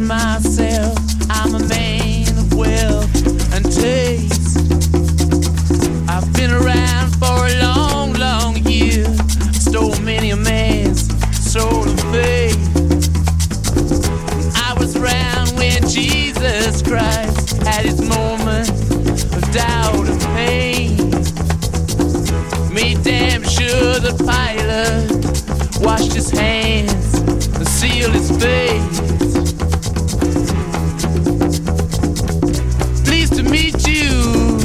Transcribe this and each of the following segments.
myself, I'm a man of wealth and taste. I've been around for a long, long year. Stole many a man's soul of faith. I was around when Jesus Christ had his moment of doubt and pain. Made damn sure the Pilate washed his hands and sealed his face. Pleased to meet you,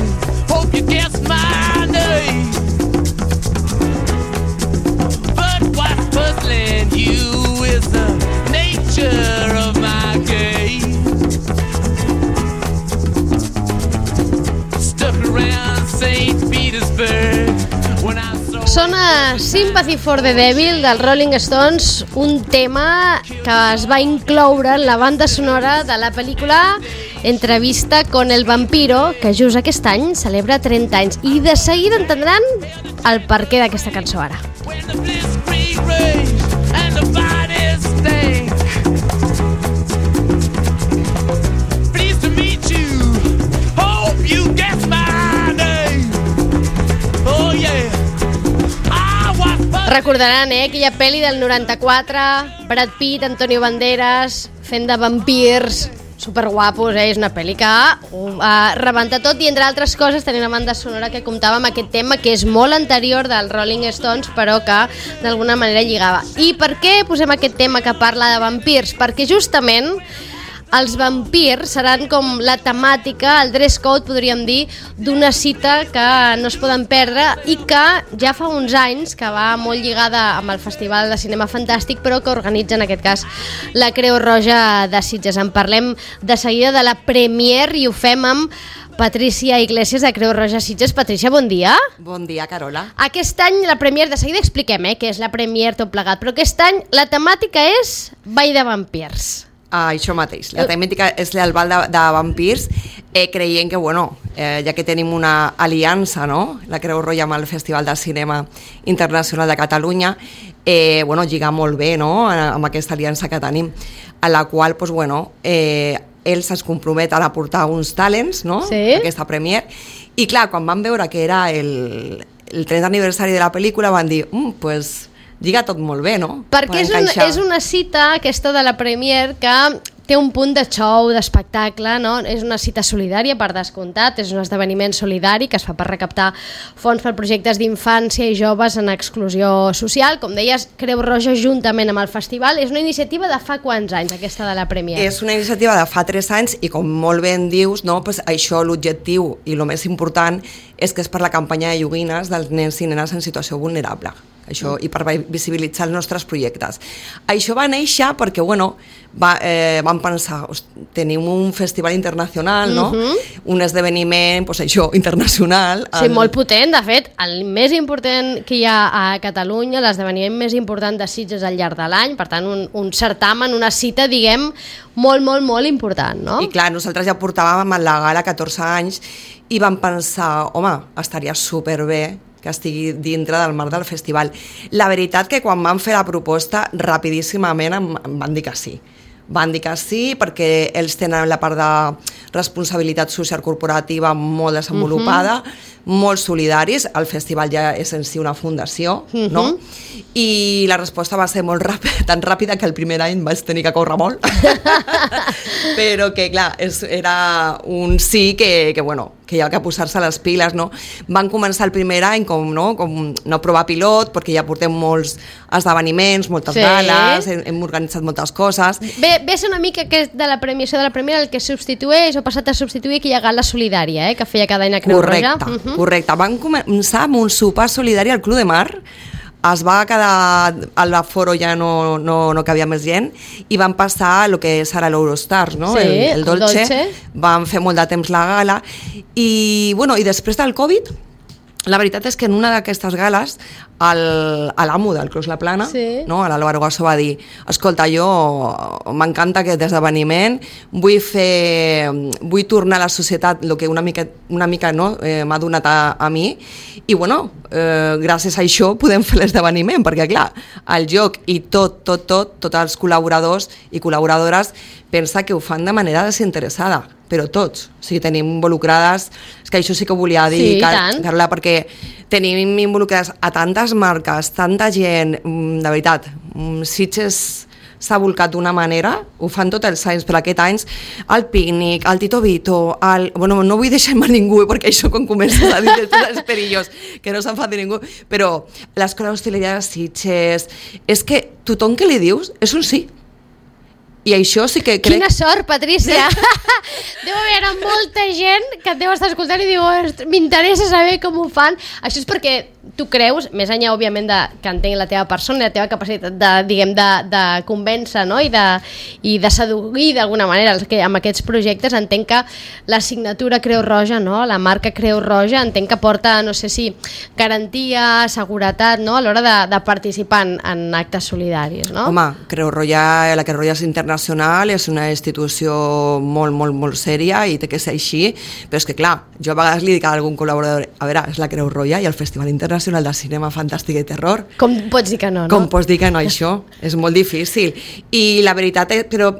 hope you guessed my name. But what's puzzling you is the nature of my game. Stuck around St. Petersburg. Sona Sympathy for the Devil dels Rolling Stones, un tema que es va incloure en la banda sonora de la pel·lícula Entrevista con el vampiro, que just aquest any celebra 30 anys. I de seguida entendran el perquè d'aquesta cançó ara. Recordaran, aquella pel·li del 94, Brad Pitt, Antonio Banderas, fent de vampirs, superguapos, és una pel·li que rebenta tot, i entre altres coses tenia una banda sonora que comptava amb aquest tema que és molt anterior dels Rolling Stones, però que d'alguna manera lligava. I per què posem aquest tema que parla de vampirs? Perquè justament els vampirs seran com la temàtica, el dress code, podríem dir, d'una cita que no es poden perdre i que ja fa uns anys que va molt lligada amb el Festival de Cinema Fantàstic, però que organitza en aquest cas la Creu Roja de Sitges. En parlem de seguida de la premiere i ho fem amb Patrícia Iglesias de Creu Roja Sitges. Patrícia, bon dia. Bon dia, Carola. Aquest any la premiere, de seguida expliquem què és la premiere tot plegat, però aquest any la temàtica és Ball de vampirs. Això mateix, la temàtica és el ball de vampirs, creient que, ja que tenim una aliança, no?, la Creu Roja amb el Festival de Cinema Internacional de Catalunya, lliga molt bé, no?, amb aquesta aliança que tenim, a la qual, ells es comprometen a portar uns talents, no?, sí, aquesta premiere, i clar, quan van veure que era el 30 aniversari de la pel·lícula van dir, lliga tot molt bé, no? Perquè és una cita, aquesta de la premiere, que té un punt de show, d'espectacle, no? És una cita solidària, per descomptat, és un esdeveniment solidari que es fa per recaptar fons per projectes d'infància i joves en exclusió social. Com deies, Creu Roja, juntament amb el festival, és una iniciativa de fa quants anys, aquesta de la premiere? És una iniciativa de fa 3 anys i, com molt bé dius, no? Això, l'objectiu i el més important és que és per la campanya de joguines dels nens i nenes en situació vulnerable. Això, i per visibilitzar els nostres projectes. Això va néixer perquè, vam pensar, tenim un festival internacional, no? Un esdeveniment, internacional. Sí, molt potent, de fet, el més important que hi ha a Catalunya, l'esdeveniment més important de Sitges al llarg de l'any, per tant, un certamen, una cita, diguem, molt, molt, molt important, no? I clar, nosaltres ja portàvem en la gala 14 anys i vam pensar, estaria superbé que estigui dintre del marc del festival. La veritat que quan van fer la proposta, rapidíssimament em van dir que sí. Van dir que sí perquè ells tenen la part de responsabilitat social corporativa molt desenvolupada, molt solidaris, el festival ja és en si una fundació, no? I la resposta va ser molt ràpida, tan ràpida que el primer any vaig tenir que córrer molt, però que clar, era un sí que hi ha que posar-se les piles, no? Van començar el primer any com no provar pilot, perquè ja portem molts esdeveniments, moltes gales, hem organitzat moltes coses. Ve ser una mica que de la premiació de la primera el que substitueix o passat a substituir aquella gala solidària que feia cada any a Creu Roja. Correcte. Van començar amb un sopar solidari al Club de Mar, es va quedar, a l'aforo ja no cabia més gent, i van passar el que és ara l'Eurostars, no? Sí, el Dolce. Van fer molt de temps la gala, i després del Covid la veritat és que en una d'aquestes gales l'amo del Clos La Plana, sí. no? l'Álvaro Gasso va dir, escolta, jo m'encanta aquest esdeveniment, vull tornar a la societat el que una mica no, m'ha donat a mi, i bueno, gràcies a això podem fer l'esdeveniment, perquè clar, el joc i tots els col·laboradors i col·laboradores pensa que ho fan de manera desinteressada, però tots, o sigui, tenim involucrades, és que això sí que ho volia dir, Carla, perquè tenim involucrades a tantes marques, tanta gent, de veritat, Sitges s'ha volcat d'una manera, ho fan tots els anys, però aquest any el pícnic, el Tito Vito, bueno, no vull deixar-me ningú, perquè això quan comença a dir tots els perillos, que no s'enfadi ningú, però l'escola d'hostaleria de Sitges, és que tothom que li dius és un sí. I això sí que crec... Quina sort, Patrícia! Deu haver molta gent que et deu estar escoltant i diu m'interessa saber com ho fan. Això és perquè tu creus, més enllà, òbviament, que entenc la teva persona i la teva capacitat de convèncer, no? I de seduir d'alguna manera amb aquests projectes. Entenc que la signatura Creu Roja, no? La marca Creu Roja, entenc que porta, no sé si, garantia, seguretat, no? A l'hora de participar en actes solidaris, no? Home, la Creu Roja és internacional, és una institució molt sèria i té que ser així, però és que clar, jo a vegades li dic a algun col·laborador, a veure, és la Creu Roja i el Festival Internacional de Cinema Fantàstic i Terror. Com pots dir que no, no? Com pots dir que no, això? És molt difícil. I la veritat és, però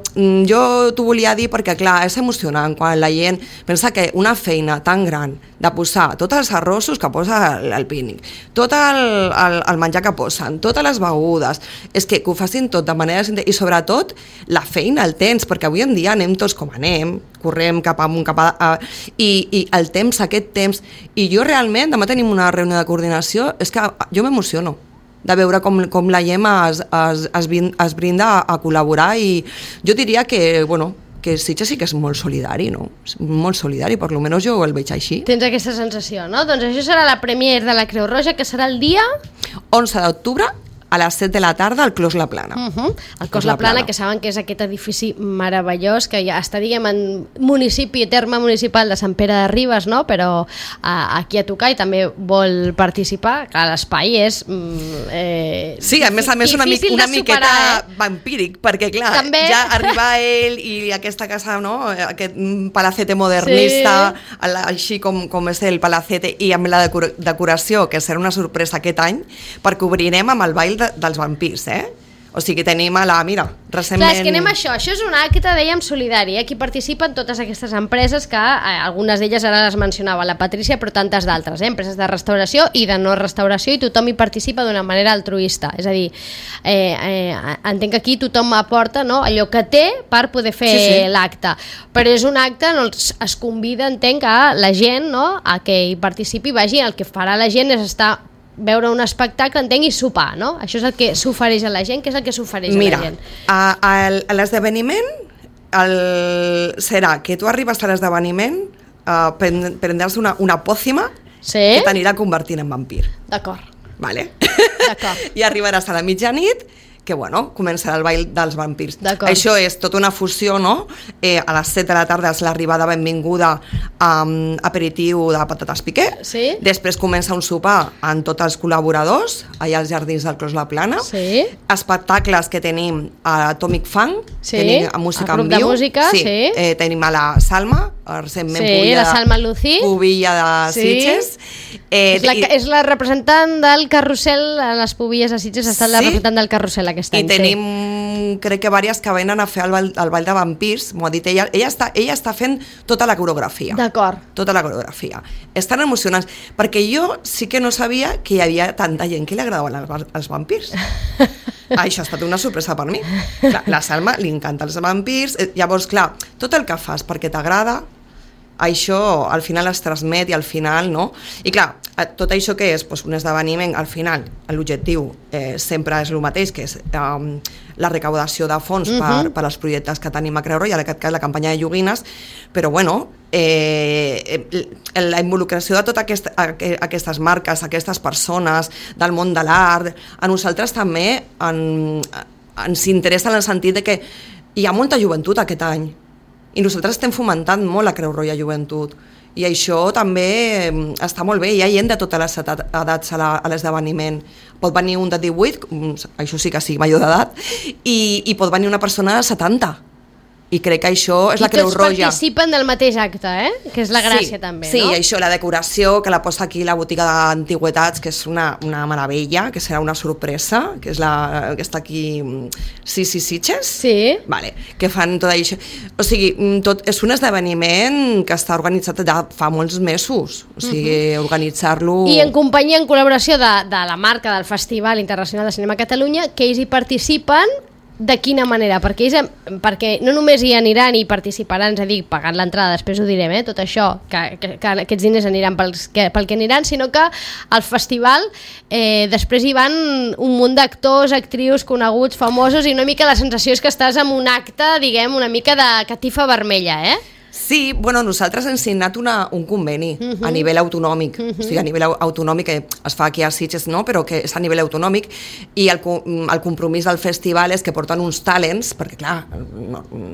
jo t'ho volia dir perquè clar, és emocionant quan la gent pensa que una feina tan gran de posar tots els arrossos que posa el pícnic, tot el menjar que posen, totes les begudes, és que ho facin tot de manera... I sobretot la feina, el temps, perquè avui en dia anem tots com anem, correm cap amunt, i el temps, aquest temps, i jo realment, demà tenim una reunió de coordinació, és que jo m'emociono de veure com la Gemma es brinda a col·laborar, i jo diria que, bueno, que Sitges sí que és molt solidari, no? Molt solidari, per almenys jo el veig així. Tens aquesta sensació, no? Doncs això serà la premiere de la Creu Roja, que serà el dia... 11 d'octubre, a les 7 de la tarda al Clos La Plana. El Clos La Plana, que saben que és aquest edifici meravellós, que ja està, diguem, en municipi, terme municipal de Sant Pere de Ribes, no? Però aquí a tocar i també vol participar, que l'espai és... sí, a més una miqueta vampíric, perquè clar, també... ja arriba ell i aquesta casa, no? Aquest palacete modernista, sí. Així com és el palacete, i amb la decoració, que serà una sorpresa aquest any, perquè obrirem amb el ball dels vampirs, O sigui, tenim mira, recentment... Clar, és que anem a això és un acte, dèiem, solidari, aquí participen totes aquestes empreses que algunes d'elles ara les mencionava la Patrícia, però tantes d'altres, empreses de restauració i de no restauració, i tothom hi participa d'una manera altruista, és a dir, entenc que aquí tothom aporta, no, allò que té per poder fer l'acte, però és un acte on es convida, entenc, a la gent, no, a que hi participi, vagi, el que farà la gent és veure un espectacle, entenc, i sopar, no? Això és el que s'ofereix a la gent, que és el que s'ofereix a la gent. Mira, l'esdeveniment serà que tu arribes a l'esdeveniment, prendràs una pòcima que t'anirà convertint en vampir. D'acord. Vale? D'acord. I arribaràs a la mitjanit, que bueno, començarà el ball dels vampirs. Això és tota una fusió, no? A les 7 de la tarda és l'arribada benvinguda amb aperitiu de patates piqué. Sí. Després comença un sopar amb tots els col·laboradors allà als jardins del Clos La Plana. Sí. Espectacles que tenim a Atomic Funk, tenim a música en viu. De música, sí. Tenim a la Salma, recentment la Salma Lucí, pubilla de Sitges. És la representant del carrusel a les pubilles de Sitges, ha estat la representant del carrusel aquest any. I tenim, crec que diverses que venen a fer el ball de vampirs, m'ho ha dit ella. Ella està fent tota la coreografia. D'acord. Tota la coreografia. Estan emocionants, perquè jo sí que no sabia que hi havia tanta gent que li agradaven els vampirs. Això ha estat una sorpresa per mi. Clar, la Salma li encanten els vampirs, llavors, clar, tot el que fas perquè t'agrada, això al final es transmet i al final, no? I clar, tot això que és un esdeveniment, al final l'objectiu sempre és el mateix, que és la recaudació de fons per als projectes que tenim a Creu Roja, en aquest cas la campanya de joguines, però bueno, la involucració de totes aquestes marques, aquestes persones del món de l'art, a nosaltres també ens interessa en el sentit de que hi ha molta joventut aquest any, i nosaltres estem fomentant molt la Creu Roja Joventut, I això també està molt bé. Hi ha gent de totes les edats a l'esdeveniment. Pot venir un de 18, això sí que sigui major d'edat, i pot venir una persona de 70. I crec que això és la Creu Roja. I tots participen del mateix acte, que és la gràcia també, sí, no? Sí, això, la decoració, que la posa aquí la botiga d'antigüetats, que és una meravella, que serà una sorpresa, que és la que està aquí, Sitges? Sí. Vale, que fan tot això. O sigui, és un esdeveniment que està organitzat ja fa molts mesos, o sigui, organitzar-lo... I en companyia, en col·laboració de la marca del Festival Internacional de Cinema Catalunya, que ells hi participen. De quina manera? Perquè no només hi aniran i participaran, és a dir, pagant l'entrada, després ho direm, tot això, que aquests diners aniran pel que aniran, sinó que al festival després hi van un munt d'actors, actrius, coneguts, famosos, i una mica la sensació és que estàs en un acte, diguem, una mica de catifa vermella, Sí, bueno, nosaltres hem signat un conveni a nivell autonòmic, o sigui, a nivell autonòmic que es fa aquí a Sitges, no? Però que és a nivell autonòmic, i el compromís del festival és que porten uns talents, perquè clar,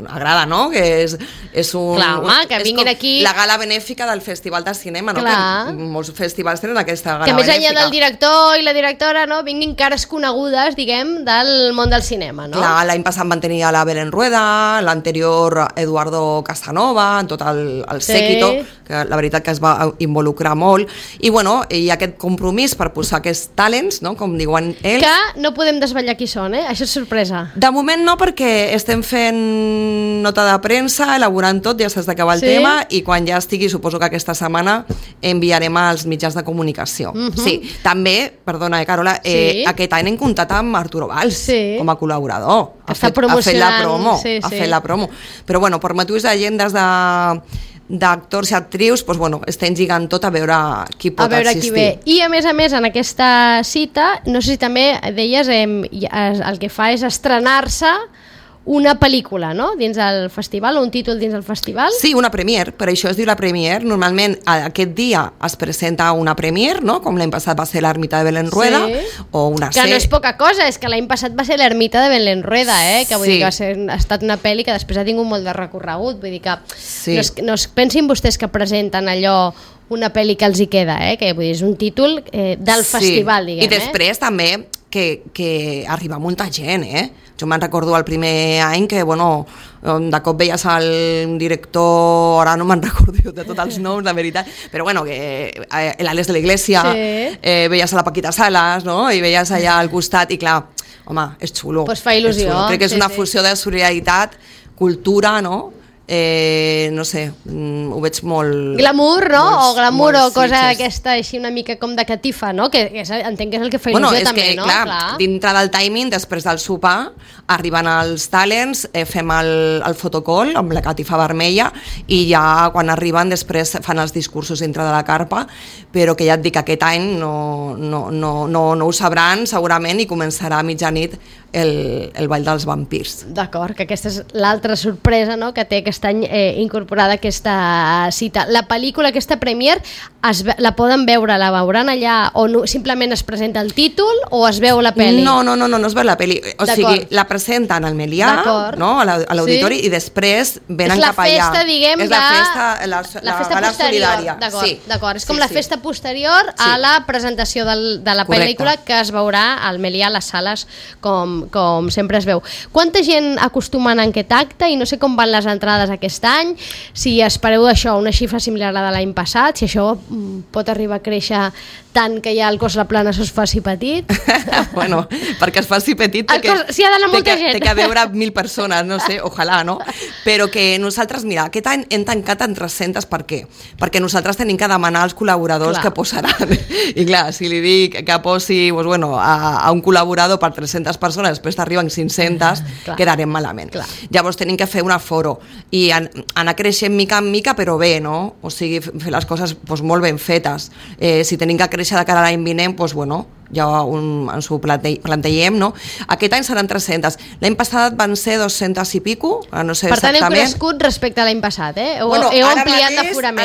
agrada, no? Que és un... Clar, home, que vinguin aquí... La gala benèfica del Festival de Cinema, no? Que molts festivals tenen aquesta gala benèfica. Que més enllà del director i la directora, no? Vinguin cares conegudes, diguem, del món del cinema, no? Clar, l'any passat van tenir a la Belén Rueda, l'anterior Eduardo Casanova, en tot el séquito, que la veritat que es va involucrar molt, i bueno, hi ha aquest compromís per posar aquests talents, no? Com diuen ells. Que no podem desvetllar qui són, això és sorpresa. De moment no, perquè estem fent nota de premsa, elaborant tot, ja s'ha d'acabar el tema, i quan ja estigui, suposo que aquesta setmana enviarem als mitjans de comunicació. Sí, també, perdona, Carola, aquest any hem comptat amb Arturo Valls com a col·laborador. Ha fet la promo. Però bueno, per motius d'agendes d'actors i actrius, doncs, bueno, estem lligant tot a veure qui pot assistir. I a més, en aquesta cita, no sé si també deies, el que fa és estrenar-se una pel·lícula, no?, dins del festival, o un títol dins del festival? Sí, una premiere, per això es diu la premiere. Normalment aquest dia es presenta una premiere, no?, com l'any passat va ser l'Ermita de Belén Rueda, o una que no és poca cosa, és que l'any passat va ser l'Ermita de Belén Rueda, que vull dir que ha estat una pel·li que després ha tingut molt de recorregut, vull dir que no es pensin vostès que presenten allò una pel·li que els hi queda, que vull dir, és un títol del festival, diguem. I després també que arriba molta gent, Jo me'n recordo el primer any que, bueno, de cop veies el director, ara no me'n recordo de tots els noms, la veritat, però bueno, que l'Àlex de la Iglesia, veies a la Paquita Salas, no?, i veies allà al costat, i clar, home, és xulo. Pues fa il·lusió. Crec que és una fusió de solidaritat, cultura, no?, no sé, ho veig molt... Glamour, no? O glamour o cosa aquesta així una mica com de catifa, no? Que entenc que és el que fa il·lusió també, no? Bueno, és que, clar, dintre del timing, després del sopar, arriben els talents, fem el fotocall amb la catifa vermella, i ja quan arriben després fan els discursos dintre de la carpa, però que ja et dic que aquest any no ho sabran segurament, i començarà a mitjanit el Ball dels Vampirs. D'acord, que aquesta és l'altra sorpresa, no?, que té aquest any incorporada aquesta cita. La pel·lícula, aquesta premiere, la poden veure, la veuran allà, o no, simplement es presenta el títol, o es veu la pel·li? No es veu la pel·li, o sigui, la presenten al Melià, no?, a l'auditori, i després venen cap allà. És la festa, diguem, és la festa solidària. D'acord, és com la festa posterior a la presentació de la pel·lícula, que es veurà al Melià, a les sales, com sempre es veu. Quanta gent acostumen en aquest acte, i no sé com van les entrades aquest any, si espereu això, una xifra similar a la de l'any passat, si això pot arribar a créixer tant que ja el Cos La Plana es faci petit? Bueno, perquè es faci petit s'hi ha d'anar molta gent. Té que veure 1.000 persones, no sé, ojalà, no? Però que nosaltres, mira, aquest any hem tancat en 300, per què? Perquè nosaltres tenim que demanar als col·laboradors que posaran. I clar, si li dic que posi a un col·laborador per 300 persones, després t'arriben 500, quedarem malament. Llavors tenim que fer un aforo i anar creixent mica en mica, però bé, no? O sigui, fer les coses molt ben fetes. Si tenim que créixer de cara a l'any vinent, ja ens ho plantegem, no? Aquest any seran 300. L'any passat van ser 200 i pico, no sé exactament. Per tant, heu crescut respecte a l'any passat, Heu ampliat l'aforament.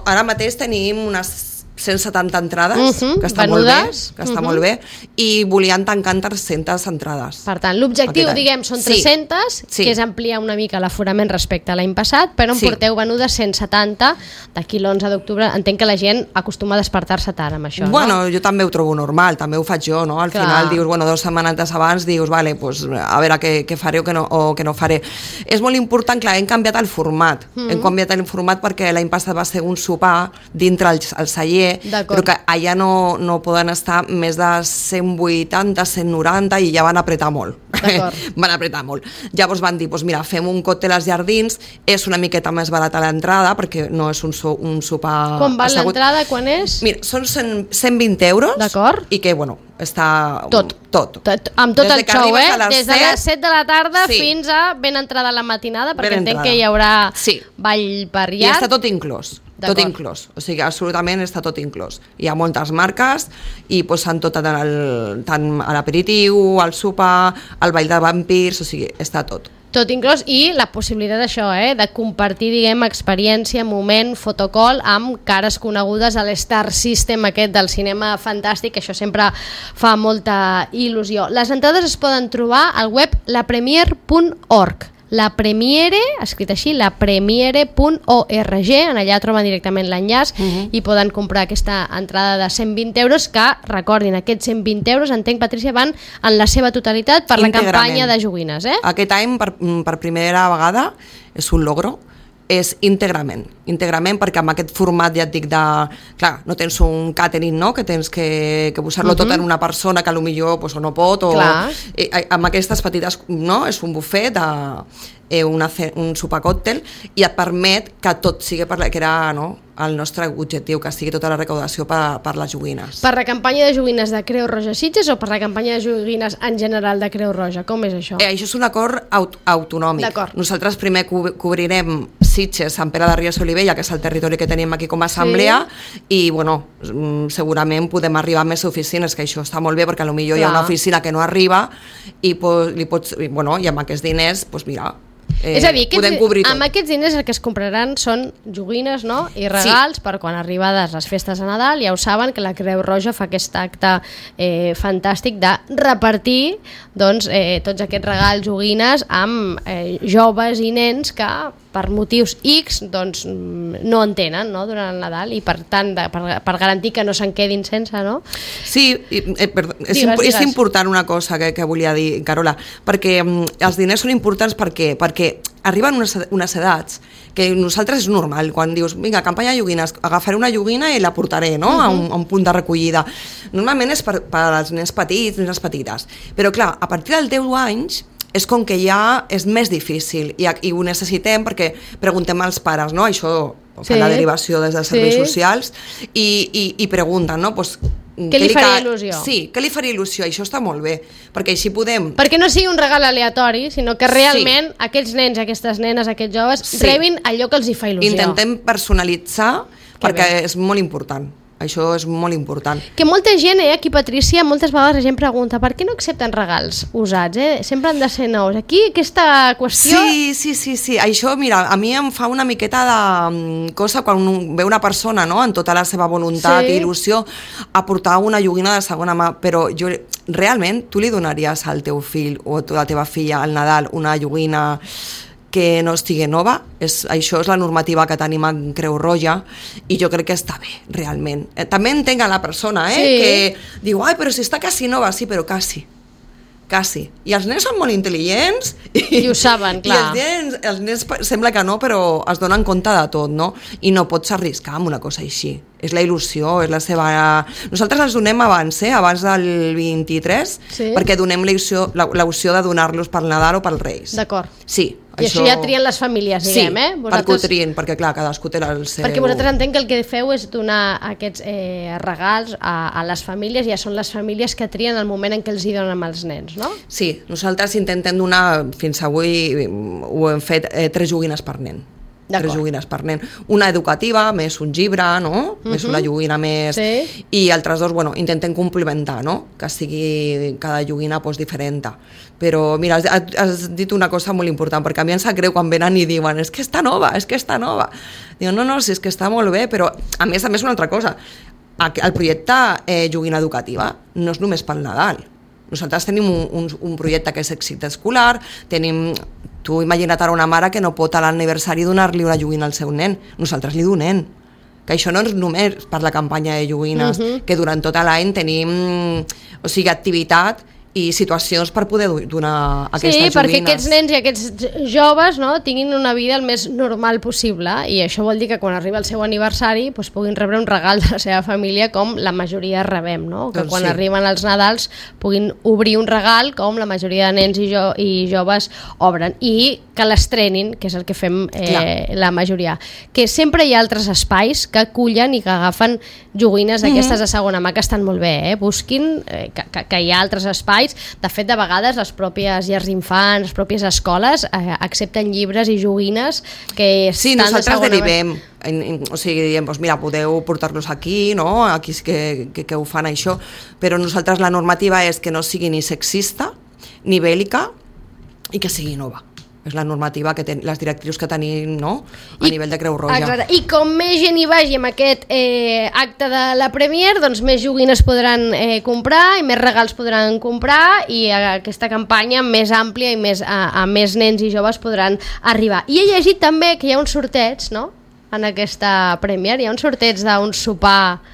Ara mateix tenim unes 170 entrades, que està venudes, molt bé, i volien tancar en 300 entrades. Per tant, l'objectiu, diguem, són 300, que és ampliar una mica l'aforament respecte a l'any passat, però en porteu venudes 170 d'aquí l'11 d'octubre. Entenc que la gent acostuma a despertar-se tard amb això, bueno, jo també ho trobo normal, també ho faig jo, no? Al final dius, 2 setmanetes abans, dius, vale, pues, a veure què faré o què no faré. És molt important, clar, hem canviat el format. Hem canviat el format perquè l'any passat va ser un sopar dintre el celler, però que allà no poden estar més de 180, 190 i ja van apretar molt. Van apretar molt. Llavors van dir, mira, fem un còctel als jardins, és una miqueta més barata l'entrada perquè no és un sopar... Com va l'entrada, quan és? Mira, són 120 euros i que, bueno, està... Tot. Amb tot el show, des de les 7 de la tarda fins a ben entrada la matinada, perquè entenc que hi haurà ball per llarg. I està tot inclòs. Tot inclòs, o sigui, absolutament està tot inclòs. Hi ha moltes marques i posen tot tant a l'aperitiu, al sopar, al ball de vampirs, o sigui, està tot. Tot inclòs, i la possibilitat d'això, de compartir, diguem, experiència, moment, fotocall amb cares conegudes a l'Star System aquest del cinema fantàstic, que això sempre fa molta il·lusió. Les entrades es poden trobar al web lapremiere.org. La Premiere, escrit així, lapremiere.org, en allà troben directament l'enllaç i poden comprar aquesta entrada de 120 euros, que, recordin, aquests 120 euros, entenc, Patrícia, van en la seva totalitat per la campanya de joguines. Aquest any, per primera vegada, és un logro, és íntegrament, perquè amb aquest format, ja et dic, clar, no tens un catering, no?, que tens que posar-lo tot en una persona que potser no pot, o amb aquestes petites, no?, és un bufet un sopar còctel, i et permet que tot sigui que era, no?, el nostre objectiu, que sigui tota la recaudació per les joguines. Per la campanya de joguines de Creu Roja Sitges o per la campanya de joguines en general de Creu Roja? Com és això? Això és un acord autonòmic. Nosaltres primer cobrirem Sitges, Sant Pere de Ries i Olivella, que és el territori que tenim aquí com a assemblea, i bueno, segurament podem arribar a més oficines, que això està molt bé, perquè potser hi ha una oficina que no arriba i amb aquests diners, mira, és a dir, amb aquests diners el que es compraran són joguines, no?, i regals per quan arribades les festes de Nadal. Ja ho saben, que la Creu Roja fa aquest acte fantàstic de repartir tots aquests regals, joguines amb joves i nens que per motius X no en tenen, no?, durant el Nadal, i per tant per garantir que no se'n quedin sense, no? Sí, és important una cosa que volia dir, Carola, perquè els diners són importants perquè arriben unes edats que nosaltres és normal, quan dius, vinga, campanya de joguines, agafaré una joguina i la portaré, no?, a un punt de recollida. Normalment és per als nens petits, nenes petites, però clar, a partir dels 10 anys és com que ja és més difícil i ho necessitem perquè preguntem als pares, no?, això fa la derivació des dels serveis socials i pregunten, no?, què li faria il·lusió? Sí, què li faria il·lusió? Això està molt bé, perquè així podem... Perquè no sigui un regal aleatori, sinó que realment aquests nens, aquestes nenes, aquests joves rebin allò que els hi fa il·lusió. Intentem personalitzar, perquè és molt important. Això és molt important. Que molta gent, aquí, Patrícia, moltes vegades la gent pregunta per què no accepten regals usats, sempre han de ser nous. Aquí aquesta qüestió... Sí. Això, mira, a mi em fa una miqueta de cosa quan ve una persona, no?, en tota la seva voluntat i il·lusió a portar una joguina de segona mà, però realment tu li donaries al teu fill o a la teva filla al Nadal una joguina que no estigui nova? Això és la normativa que tenim en Creu Roja i jo crec que està bé, realment. També entenc a la persona, que diu, però si està quasi nova, sí, però quasi. I els nens són molt intel·ligents i ho saben, clar. I els nens sembla que no, però es donen compte de tot, no? I no pots arriscar amb una cosa així. És la il·lusió, és la seva... Nosaltres els donem abans del 23, perquè donem l'opció de donar-los pel Nadal o pel Reis. D'acord. Sí. I això ja trien les famílies, diguem, perquè ho trien, perquè clar, cadascú té el seu... Perquè vosaltres entenc que el que feu és donar aquests regals a les famílies, ja són les famílies que trien el moment en què els hi donen als nens, no? Sí, nosaltres intentem donar, fins avui ho hem fet, 3 joguines per nen. 3 joguines per nen. Una educativa, més un llibre, no? Més una joguina més... I altres 2, intentem complementar, no? Que sigui cada joguina diferent. Però, mira, has dit una cosa molt important, perquè a mi em sap greu quan venen i diuen és que està nova. Diu, no, si és que està molt bé, però a més una altra cosa. el projecte Joguina Educativa no és només pel Nadal. Nosaltres tenim un projecte que és èxit escolar, tu imagina't ara una mare que no pot a l'aniversari donar-li una joguina al seu nen, nosaltres li donem. Que això no és només per la campanya de joguines, que durant tot l'any tenim activitat i situacions per poder donar aquestes joguines. Sí, perquè aquests nens i aquests joves, no, tinguin una vida el més normal possible, i això vol dir que quan arriba el seu aniversari doncs puguin rebre un regal de la seva família com la majoria rebem, no? Que quan arriben els Nadals puguin obrir un regal com la majoria de nens i joves obren, i que l'estrenin, que és el que fem la majoria. Que sempre hi ha altres espais que acullen i que agafen joguines d'aquestes de segona mà, que estan molt bé, busquin que hi ha altres espais. De fet, de vegades les pròpies llars d'infants, les pròpies escoles accepten llibres i joguines que estan de segona mà. Sí, nosaltres derivem, o sigui, diem, doncs mira, podeu portar-los aquí, no? Aquí sí que ho fan això, però nosaltres la normativa és que no sigui ni sexista ni bèl·lica i que sigui nova. És la normativa, les directrius que tenim, no? A nivell de Creu Roja. Exacte. I com més gent hi vagi amb aquest acte de la Premier, doncs més joguines podran comprar i més regals podran comprar, i aquesta campanya més àmplia i a més nens i joves podran arribar. I he llegit també que hi ha un sorteig, no?, en aquesta Premier, hi ha un sorteig d'un sopar.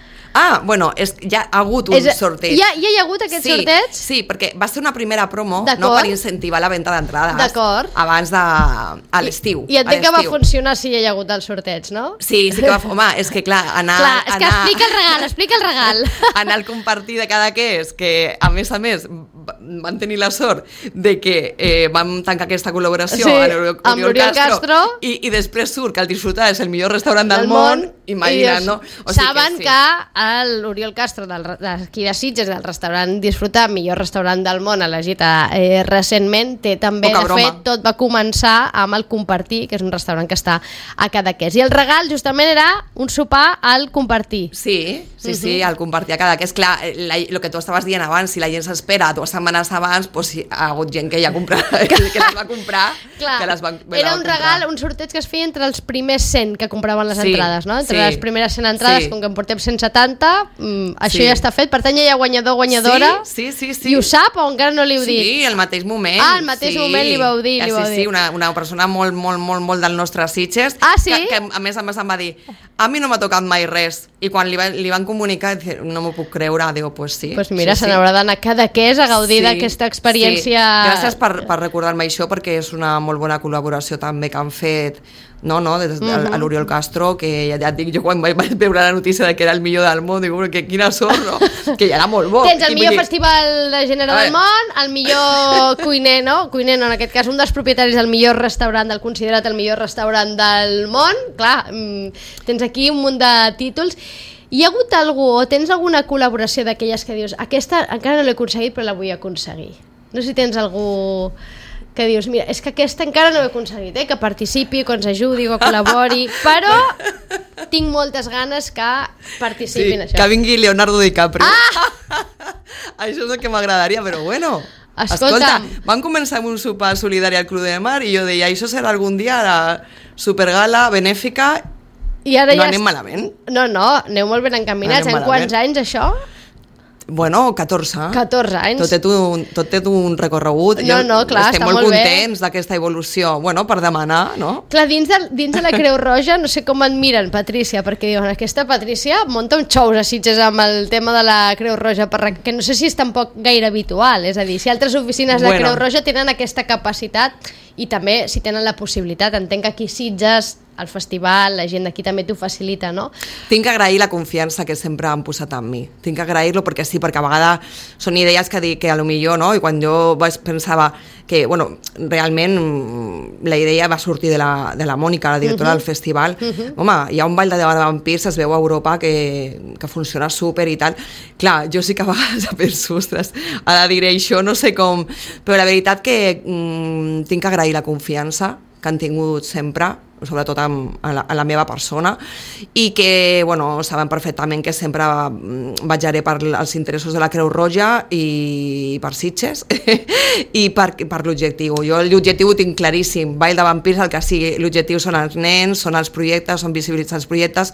Bueno, ja ha hagut un sorteig. Ja hi ha hagut aquest sorteig? Sí, perquè va ser una primera promo, no, per incentivar la venda d'entrades abans a l'estiu. I entenc que va funcionar si hi ha hagut el sorteig, no? Sí que va... Home, és que clar, és que explica el regal. Anar al compartir de Cadaqués, que a més van tenir la sort de que vam tancar aquesta col·laboració amb l'Oriol Castro i després surt que el Disfrutar és el millor restaurant del món, imagina't, no? Saben que l'Oriol Castro d'aquí de Sitges, del restaurant Disfrutar, millor restaurant del món, elegit recentment, té també, de fet, tot va començar amb el Compartir, que és un restaurant que està a Cadaqués. I el regal justament era un sopar al Compartir. Sí, al Compartir a Cadaqués. Clar, el que tu estaves dient abans, si la gent s'espera 2 setmanes abans, doncs hi ha hagut gent que ja que les va comprar. Clar, era un regal, un sorteig que es feia entre els primers 100 que compraven les entrades, no? Entre les primeres 100 entrades, com que en portem 170, això ja està fet. Per tant, ja hi ha guanyador, guanyadora. Sí. I ho sap o encara no li heu dit? Sí, al mateix moment. Al mateix moment li vau dir. Sí, una persona molt del nostre Sitges, que a més em va dir, a mi no m'ha tocat mai res, i quan li van comunicar, no m'ho puc creure, diu, pues sí. Pues mira, se n'haurà d'anar a Cadaqués a gaudir d'aquesta experiència. Gràcies per recordar-me això, perquè és una molt bona col·laboració també que han fet a l'Oriol Castro, que ja et dic, jo quan vaig veure la notícia de que era el millor del món, dic, que quina sort, no? Que ja era molt bo. Tens el millor festival de gènere del món, el millor cuiner, no? Cuiner, no, en aquest cas, un dels propietaris del millor restaurant, del considerat el millor restaurant del món. Clar, tens aquí un munt de títols. Hi ha hagut algú, o tens alguna col·laboració d'aquelles que dius, aquesta encara no l'he aconseguit, però la vull aconseguir? No sé si tens algú que dius, mira, és que aquesta encara no ho he aconseguit, que participi, que ens ajudi, que col·labori, però tinc moltes ganes que participi en això. Que vingui Leonardo DiCaprio. Això és el que m'agradaria, però bueno... Escolta, van començar amb un sopar solidari al Club de Mar i jo deia, això serà algun dia la supergala benèfica. I ara no anem malament. No, aneu molt ben encaminats. En quants anys això? Bueno, 14. 14 anys. Tot té un recorregut. No, clar, estem molt contents d'aquesta evolució. Bueno, per demanar, no? Clar, dins de la Creu Roja, no sé com et miren, Patrícia, perquè diuen, aquesta Patrícia munta un xous a Sitges amb el tema de la Creu Roja, que no sé si és tampoc gaire habitual. És a dir, si altres oficines de Creu Roja tenen aquesta capacitat i també si tenen la possibilitat, entenc que aquí Sitges, el festival, la gent d'aquí també t'ho facilita, no? Tinc que agrair la confiança que sempre han posat en mi. Tinc que agrair-lo perquè sí, perquè a vegades són idees que dic que a lo millor, no? I quan jo pensava que, bueno, realment la idea va sortir de la Mònica, la directora del festival. Home, hi ha un ball de vampirs, es veu a Europa que funciona súper i tal. Clar, jo sí que a vegades penso, ostres, ara diré això, no sé com, però la veritat que tinc que agrair la confiança que han tingut sempre sobretot en la meva persona, i que, bueno, saben perfectament que sempre vetllaré per els interessos de la Creu Roja i per Sitges i per l'objectiu. Jo l'objectiu ho tinc claríssim, Vall de Vampirs, el que sigui, l'objectiu són els nens, són els projectes, són visibilitzar els projectes,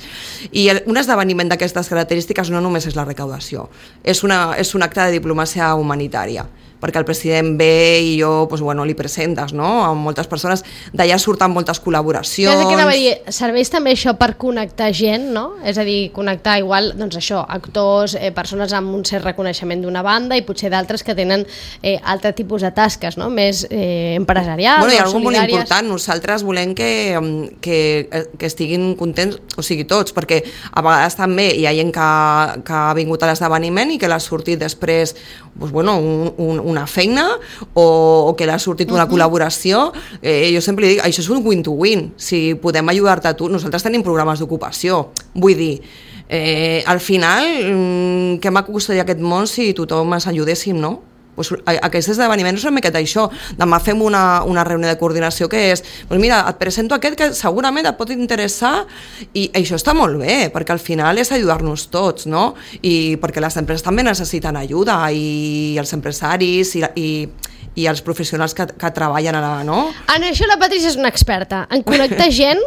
i un esdeveniment d'aquestes característiques no només és la recaudació, és un acte de diplomàcia humanitària, perquè el president ve i jo doncs, bueno, li presentes, no?, a moltes persones, d'allà surten moltes col·laboracions. Serveix també això per connectar gent, no? És a dir, connectar igual, doncs això, actors, persones amb un cert reconeixement d'una banda i potser d'altres que tenen altre tipus de tasques, no?, més empresarials, bueno, i o algo solidàries. molt important, nosaltres volem que estiguin contents, o sigui, tots, perquè a vegades també hi ha gent que ha vingut a l'esdeveniment i que l'ha sortit després, doncs, bueno, una feina o que l'ha sortit una col·laboració. Jo sempre dic, això és un win-to-win, si podem ajudar-te a tu. Nosaltres tenim programes d'ocupació, vull dir, al final què maco costaria aquest món si tothom ens ajudéssim, no? Pues aquest esdeveniment és una miqueta això. Demà fem una reunió de coordinació que és, pues mira, et presento aquest que segurament et pot interessar, i això està molt bé, perquè al final és ajudar-nos tots, no? I perquè les empreses també necessiten ajuda, i els empresaris i els professionals que treballen allà, no? En això la Patrícia és una experta, en connectar gent.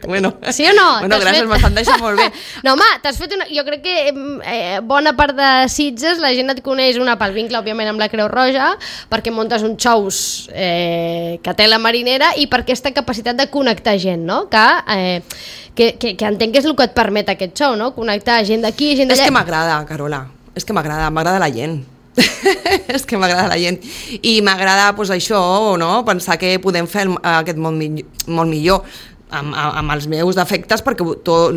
Bueno, sí o no? Bueno, gràcies, m'estan deixant molt bé. No, home, t'has fet una... Jo crec que bona part de Sitges la gent et coneix, una pel vincle, òbviament, amb la Creu Roja, perquè muntes uns xous que té la marinera, i per aquesta capacitat de connectar gent, no? Que entenc que és el que et permet aquest xou, no? Connectar gent d'aquí, gent d'allà. És que m'agrada, Carola, és que m'agrada la gent. És que m'agrada la gent i m'agrada pues, això, no? Pensar que podem fer aquest món molt millor amb els meus defectes, perquè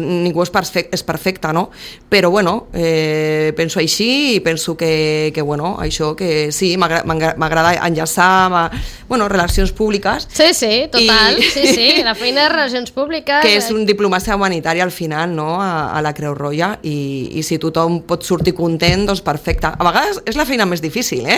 ningú és perfecte, no? Però bueno, penso així i penso que bueno, això que sí, m'agrada enllaçar bueno, relacions públiques. Sí, total, sí, la feina de relacions públiques. Que és un diplomàcia humanitària al final, no?, a la Creu Roja, i si tothom pot sortir content, doncs perfecte. A vegades és la feina més difícil,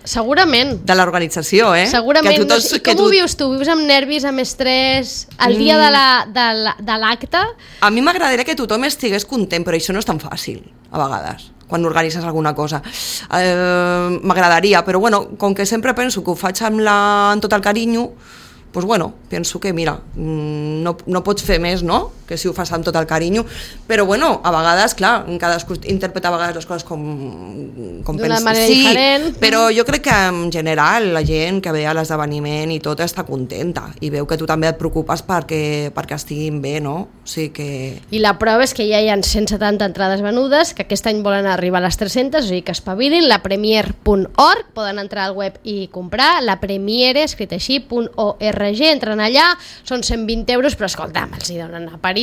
Segurament. De l'organització, Segurament. I com ho vius tu? Vius amb nervis, amb estrès, el dia de l'acte? A mi m'agradaria que tothom estigués content, però això no és tan fàcil, a vegades, quan organitzes alguna cosa. M'agradaria, però bueno, com que sempre penso que ho faig amb tot el carinyo, doncs bueno, penso que mira, no pots fer més, no?, que si ho fas amb tot el carinyo, però bueno, a vegades, clar, cadascú interpreta a vegades les coses com d'una manera diferent. Però jo crec que en general la gent que ve a l'esdeveniment i tot està contenta i veu que tu també et preocupes perquè estiguin bé, no? O sigui que... I la prova és que ja hi ha 170 entrades venudes, que aquest any volen arribar a les 300, o sigui que espavilin, lapremier.org, poden entrar al web i comprar, lapremiere, escrit així, .org, entren allà, són 120 euros, però escolta'm, els hi donen aperitius,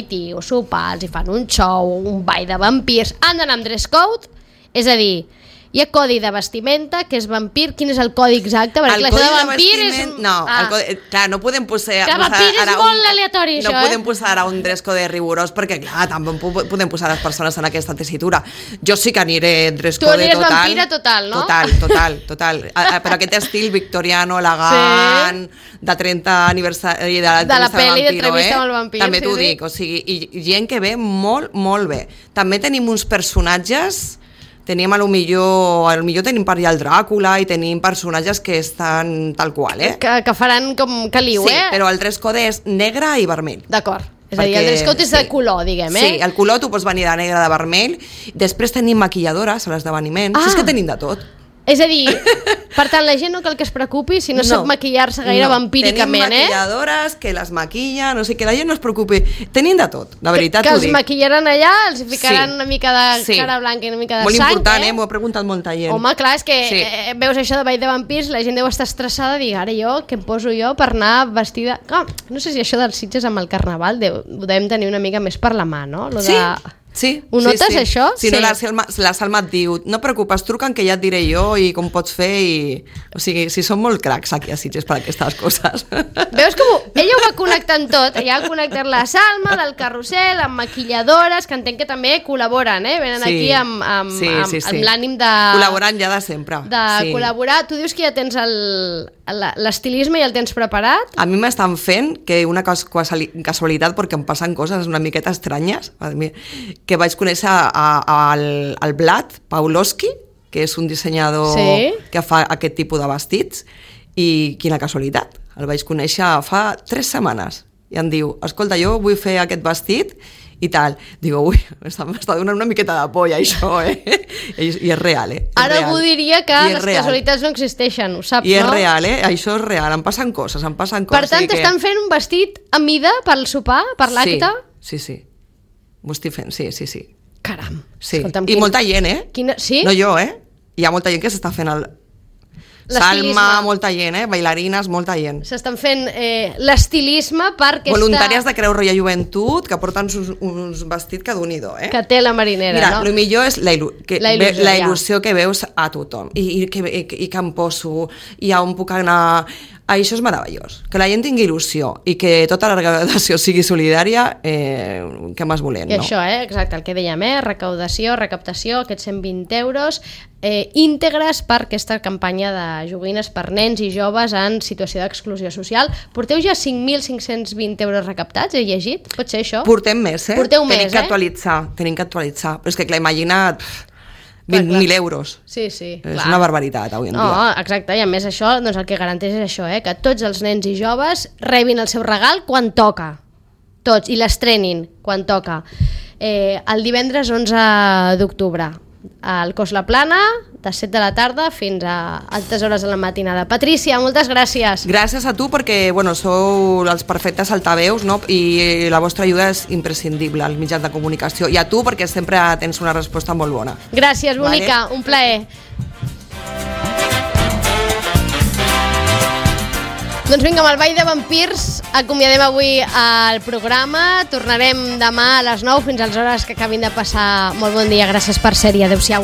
sopar, els hi fan un show, un ball de vampirs, han d'anar amb dress code, és a dir, hi ha codi de vestimenta, que és vampir. Quin és el codi exacte? Perquè el codi de vampir és... No, clar, no podem posar... Que vampir és molt aleatori, això, No podem posar ara un dress code rigorós, perquè, clar, també podem posar les persones en aquesta tessitura. Jo sí que aniré dress code total. Tu aniràs vampira total, no? Total. Per aquest estil victoriano, elegant, de 30 aniversari de la pel·li d'Entrevista amb el vampir. També t'ho dic, o sigui, i gent que ve molt, molt bé. També tenim uns personatges... Tenim a lo millor tenim per allà el Dràcula i tenim personatges que estan tal qual, que faran com caliu, Sí, però el dress code és negre i vermell. D'acord. És a dir, el dress code és de color, diguem, Sí, el color tu pots venir de negre, de vermell. Després tenim maquilladores a l'esdeveniment. Si és que tenim de tot. És a dir, per tant, la gent no cal que es preocupi si no sap maquillar-se gaire vampíricament, Tenim maquilladores que les maquillen, o sigui, que la gent no es preocupi. Tenim de tot, la veritat que ho dic. els maquillaran allà, els ficaran una mica de cara blanca i una mica de molt sang. Molt important, m'ho ha preguntat molta gent. Home, clar, és que veus això de Ball de Vampirs, la gent deu estar estressada i dir, ara jo, què em poso jo per anar vestida... Clar, no sé si això dels Sitges amb el Carnaval ho devem tenir una mica més per la mà, no? Sí. Ho notes, sí. això? Si no, la Salma et diu, no preocupes, truca'm que ja et diré jo i com pots fer i... O sigui, si són molt cracs aquí a Sitges per aquestes coses. Veus com ella ho va connectant tot, ella va connectar la Salma del carrusel amb maquilladores, que entenc que també col·laboren, venen aquí amb l'ànim de... Col·laborant ja de sempre. De col·laborar. Tu dius que ja tens l'estilisme i el tens preparat? A mi m'estan fent, que una casualitat, perquè em passen coses una miqueta estranyes, que vaig conèixer al Vlad Pawlowski, que és un dissenyador que fa aquest tipus de vestits, i quina casualitat, el vaig conèixer fa 3 setmanes, i em diu, escolta, jo vull fer aquest vestit, i tal. Digo, ui, m'està donant una miqueta de por, això, I és real, Ara algú diria que les casualitats no existeixen, ho saps, no? I és real, això és real, em passen coses. Per tant, t'estan fent un vestit a mida pel sopar, per l'acte? Sí. M'ho estic fent, sí. Caram. Sí. I molta gent, Sí? No jo, Hi ha molta gent que s'està fent Salma, molta gent, bailarines, molta gent. S'estan fent l'estilisme per aquesta... Voluntàries de Creu Roja Joventut que porten uns vestits que d'un-i-do, Que té la marinera, Mira, no? el millor és la il·lusió que veus a tothom. I que em poso, i on puc anar... Això és meravellós. Que la gent tingui il·lusió i que tota la recaudació sigui solidària, què més volem, no? I això, exacte, el que dèiem, recaptació, aquests 120 euros, íntegres per aquesta campanya de joguines per nens i joves en situació d'exclusió social. Porteu ja 5.520 euros recaptats, he llegit? Pot ser això? Portem més, Porteu més, Tenim que actualitzar. Però és que, clar, imagina't... 20.000 euros. Sí, és una barbaritat avui en dia. No, exacte, i a més això, doncs el que garanteix és això, que tots els nens i joves rebin el seu regal quan toca. Tots, i l'estrenin quan toca. El divendres 11 d'octubre, al Cos La Plana, de 7 de la tarda fins a altes hores de la matinada. Patrícia, moltes gràcies. Gràcies a tu perquè sou els perfectes altaveus, no? I la vostra ajuda és imprescindible als mitjans de comunicació. I a tu perquè sempre tens una resposta molt bona. Gràcies, bonica, un plaer. Doncs vinga, amb el Ball de Vampirs acomiadem avui el programa. Tornarem demà a les 9 fins a les hores que acabin de passar. Molt bon dia, gràcies per ser-hi. Adéu-siau.